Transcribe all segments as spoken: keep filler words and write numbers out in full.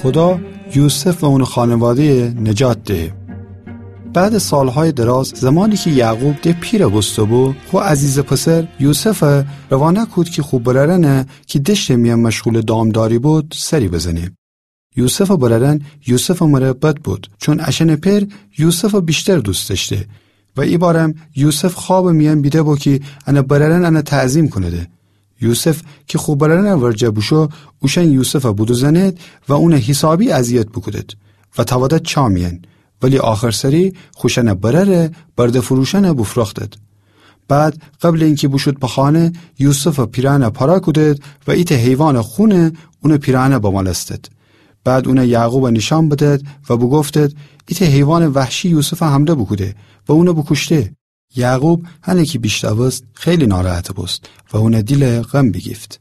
خودا یوسف و اونٚ خانواده‌یَ نجات دهه. بعدٚ سالهایٚ دراز، زمانی کی یعقوب د پیر بوسته‌بو، خو عزیزٚ پسر یوسفَ روانه کود کی خو برأرأنَ کی دشتٚ میأن مشغولٚ دامداری بود، سری بزنه. یوسفٚ برأرأن یوسفٚ مره بد بود، چون اشأنٚ پئر یوسفَ ویشتر دوست دأشته و ایبارم یوسف خوابٚ میأن بیده‌بو کی انٚ برأرأن انَ تعظیم کونده. یوسف کی خو برأرأنٚ ورجه بوشو، اوشأن یوسفَ بودوزأنید و اونَ حیسابی اذیت بوکودید و تأودید چاه میأن، ولی آخرسری خوشأنٚ برأرَ برده‌فروشأنَ بوفروختید. بعد قبلٚ اینکی بوشود به خانه، یوسفٚ پیرهنَ پاره کودید و ایتأ حیوانٚ خون اونٚ پیرهنَ بمالستید. بعد اونَ یعقوبَ نیشأن بدید و بوگفتید: ایتأ حیوانٚ وحشی یوسفَ حمله بوکوده و اونَ بوکوشته. یعقوب هنه کی بیشنوست، خیلی ناراحت بوست و اونٚ دیلَ غم بیگیفت.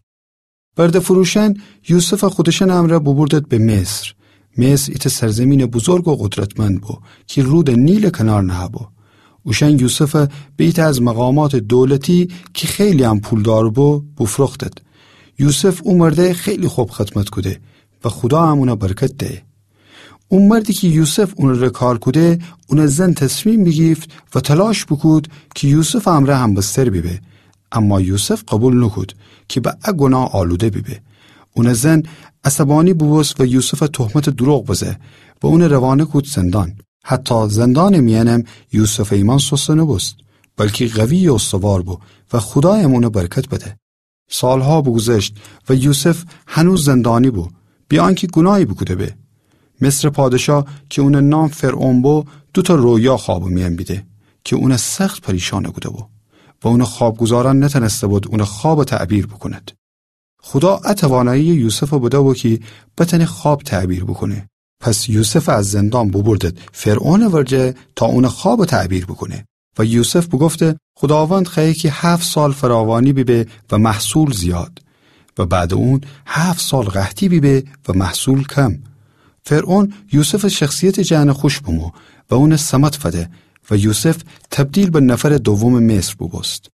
برده‌فروشأن یوسفَ خودشأنٚ امرأ بوبوردید به مصر. مصر ایتأ سرزیمینٚ بزرگ و قدرتمند بو کی رودٚ نیلٚ کنار نهه‌بو. اوشأن یوسفَ به ایتأ از مقاماتٚ دولتی کی خیلی هم پولدار بو، بوفروختید. یوسف او مردَ خیلی خب خدمت کوده و خودا هم اونَ برکت دهه. او مردی کی یوسف اونٚ ره کار کوده، اونٚ زن تصمیم بیگیفت و تلاش بوکود کی یوسفٚ امرأ همبستر بیبه، اما یوسف قوبیل نوکود کی به ا گوناه آلوده بیبه. اونٚ زن عصبانی بوبوست و یوسفَ تهمتٚ دروغ بزه و اونَ روانه کود زندان. حتی زندانٚ میأنم یوسفٚ ایمأن سسته نوبوست، بلکی قوی و استوار بو و خودایم اونَ برکت بده. سالها بوگوذشت و یوسف هنوز زندانی بو، بی آنکی گوناهی بوکوده به. مصرٚ پادشاه کی اونٚ نام فرعون بو، دوتأ رویا خوابٚ میأن بیده کی اونَ سخت پریشان کوده‌بو و اونٚ خوابگزارأن نتأنسته‌بود اونٚ خوابَ تعبیر بوکونید. خودا ا تواناییَ یوسفَ بده‌بو کی بتأنه خواب تعبیر بوکونه. پس یوسفَ از زندان بوبوردید فرعونٚ ورجه تا اونٚ خوابَ تعبیر بوکونه. و یوسف بوگفته: خوداوند خوأیه کی هفت سال فراوانی بیبه و محصول زیاد، و بعدٚ اون هفت سال قحطی بیبه و محصول کم. فرعون یوسفٚ شخصیتٚ جأن خوش بمو و اونَ ثمد فده و یوسف تبدیل به نفرٚ دومٚ مصر بوبوست.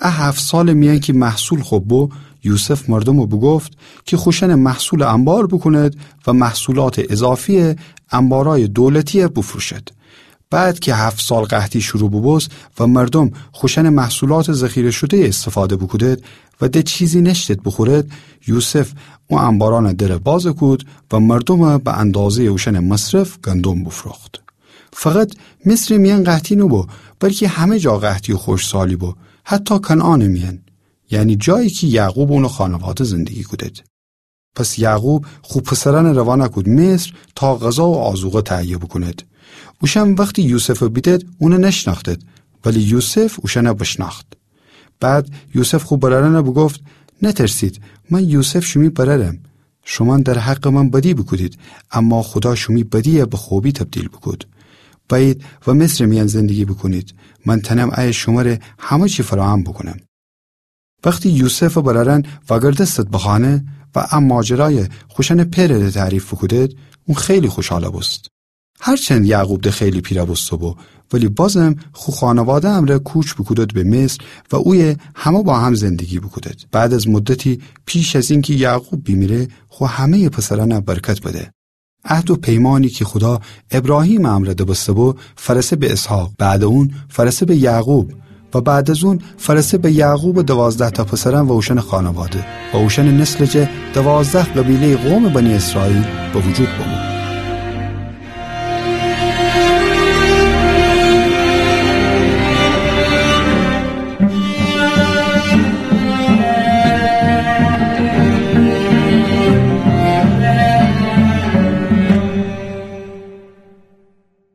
ا هفت سالٚ میأن کی محصول خب بو، یوسف مردومَ بوگفت کی خوشأنٚ محصولَ انبار بوکونید و محصولاتٚ اضافیَ انبارأیٚ دولتیَ بوفروشید. بعد کی هفت سال قحطی شروع بوبوست و مردوم خوشأنٚ محصولاتٚ ذخیره‌شده‌یَ استفاده بوکودید و د چیزی نأشتید بوخورید، یوسف او انبارأنٚ درَ باز کود و مردومَ به اندازه‌یٚ اوشأنٚ مصرف گندم بوفروخت. فقط مصرٚ میأن قحطی نوبو، بلکی همه جا قحطی و خشکسالی بو، حتی کنعانٚ میأن، یعنی جایی کی یعقوب و اونٚ خانواده زندگی کودید. پس یعقوب خو پسرأنَ روانه کود مصر تا غذا و آذوقه تهیه بوکونید. اوشأن وختی یوسفَ بیدید، اونَ نشنأختید، ولی یوسف اوشأنَ بشنأخت. بعد یوسف خو برأرأنَ بوگفت: نترسید، من یوسف شیمی برأرم. شومأن در حقٚ من بدی بوکودید، اما خودا شیمی بدیَ به خوبی تبدیل بوکود. بأیید و مصرٚ میأن زندگی بوکونید. من تأنم ایه شمره همه چی فراهم بوکونم. وختی یوسفٚ برأرأن وأگردستید به خانه و ا ماجرایَ خوشأنٚ پئرٚ ره تعریف بوکودید، اون خیلی خوشحال بوست. هرچند یعقوب د خیلی پیر بوسته‌بو، ولی بازم خو خانواده امرأ کوچ بوکودید به مصر و اویه همه با هم زندگی بوکودید. بعد از مدتی، پیش از اینکی یعقوب بیمیره، خو همه‌یٚ پسرأنَ برکت بده. عهد و پیمانی کی خودا ابراهیمٚ امرأ دبسته‌بو، فأرسه به اسحاق، بعدٚ اون فأرسه به یعقوب و بعد از اون فأرسه به یعقوبٚ دوازده‌تأ پسرأن و اوشأنٚ خانواده و اوشأنٚ نسلٚ جا دوازده قبیله‌یٚ قومٚ بنی اسرائیل به وجود بمو.